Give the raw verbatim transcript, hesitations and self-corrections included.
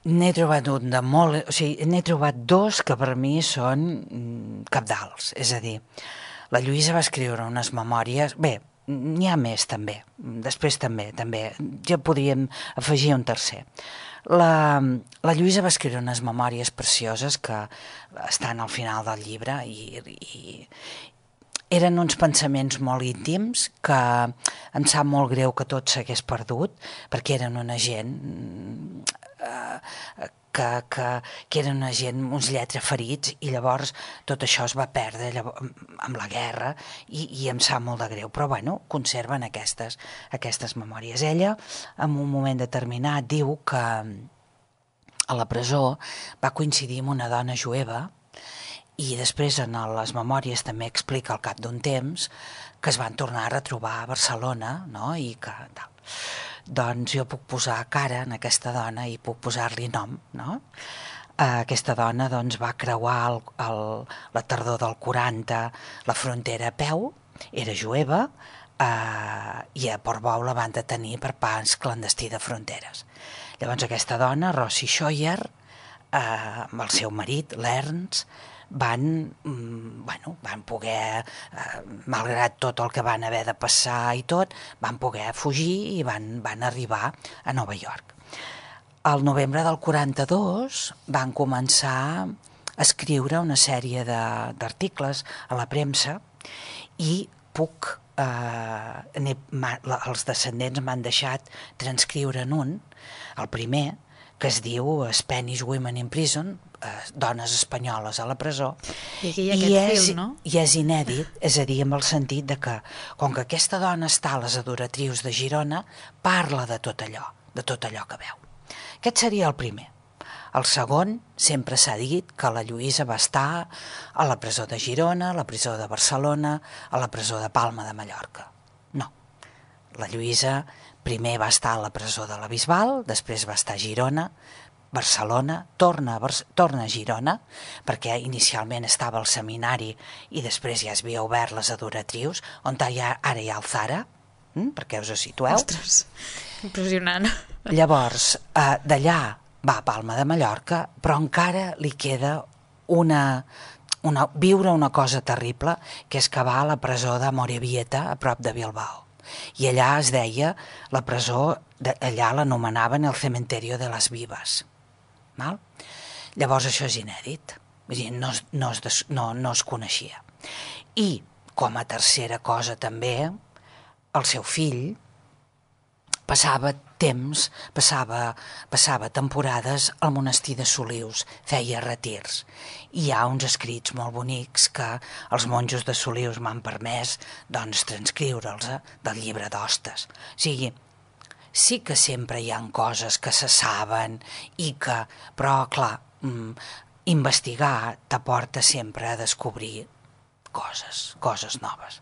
N'he trobat un de molt... O sigui, n'he trobat dos que per mi són mm, cabdals. És a dir, la Lluïsa va escriure unes memòries... Bé, n'hi ha més també, després també, també. Ja podríem afegir un tercer. La, la Lluïsa va escriure unes memòries precioses que estan al final del llibre i, i eren uns pensaments molt íntims que em sap molt greu que tot s'hagués perdut, perquè eren una gent eh, que, que, que eren una gent, uns lletraferits, i llavors tot això es va perdre llavors, amb la guerra, i, i em sap molt de greu, però bueno, conserven aquestes, aquestes memòries. Ella, en un moment determinat, diu que a la presó va coincidir amb una dona jueva, i després en les memòries també explica al cap d'un temps que es van tornar a retrobar a Barcelona, no? I que tal. Doncs jo puc posar cara en aquesta dona i puc posar-li nom, no? Aquesta dona doncs, va creuar el, el, la tardor del quaranta la frontera a peu, era jueva, eh, i a Portbou la van detenir per pas clandestí de fronteres. Llavors aquesta dona, Rosi Scheuer, eh, amb el seu marit, l'Ernst, van, bueno, van poder, eh, malgrat tot el que van haver de passar i tot, van poder fugir i van, van arribar a Nova York. Al novembre del quaranta-dos van començar a escriure una sèrie d'articles a la premsa i puc, eh, els descendents m'han deixat transcriure en un, el primer, que es diu Spanish Women in Prison, eh, dones espanyoles a la presó. I aquí hi ha aquest és, fil, no? I és inèdit, és a dir, amb el sentit de que, com que aquesta dona està a les adoratrius de Girona, parla de tot allò, de tot allò que veu. Aquest seria el primer. El segon, sempre s'ha dit que la Lluïsa va estar a la presó de Girona, a la presó de Barcelona, a la presó de Palma de Mallorca. No. La Lluïsa primer va estar a la presó de la Bisbal, després va estar a Girona, Barcelona, torna a, Bar torna a Girona, perquè inicialment estava al seminari i després ja es havia obert les adoratrius, on ha, ara hi ha el Zara, hm? Perquè us ho situeu. Ostres, impressionant. Llavors, eh, d'allà va a Palma de Mallorca, però encara li queda una, una, viure una cosa terrible, que és que va a la presó de Morevieta, a prop de Bilbao. I allà es deia, la presó, allà l'anomenaven el cementerio de las vivas. Val? Llavors això és inèdit, vull dir, no, no, es, no, no es coneixia. I, com a tercera cosa també, el seu fill passava temps, passava, passava temporades al monestir de Solius, feia retirs. I hi ha uns escrits molt bonics que els monjos de Solius m'han permès doncs, transcriure'ls eh, del llibre d'hostes. O sigui, sí que sempre hi ha coses que se saben i que, però clar, mm, investigar t'aporta sempre a descobrir coses, coses noves.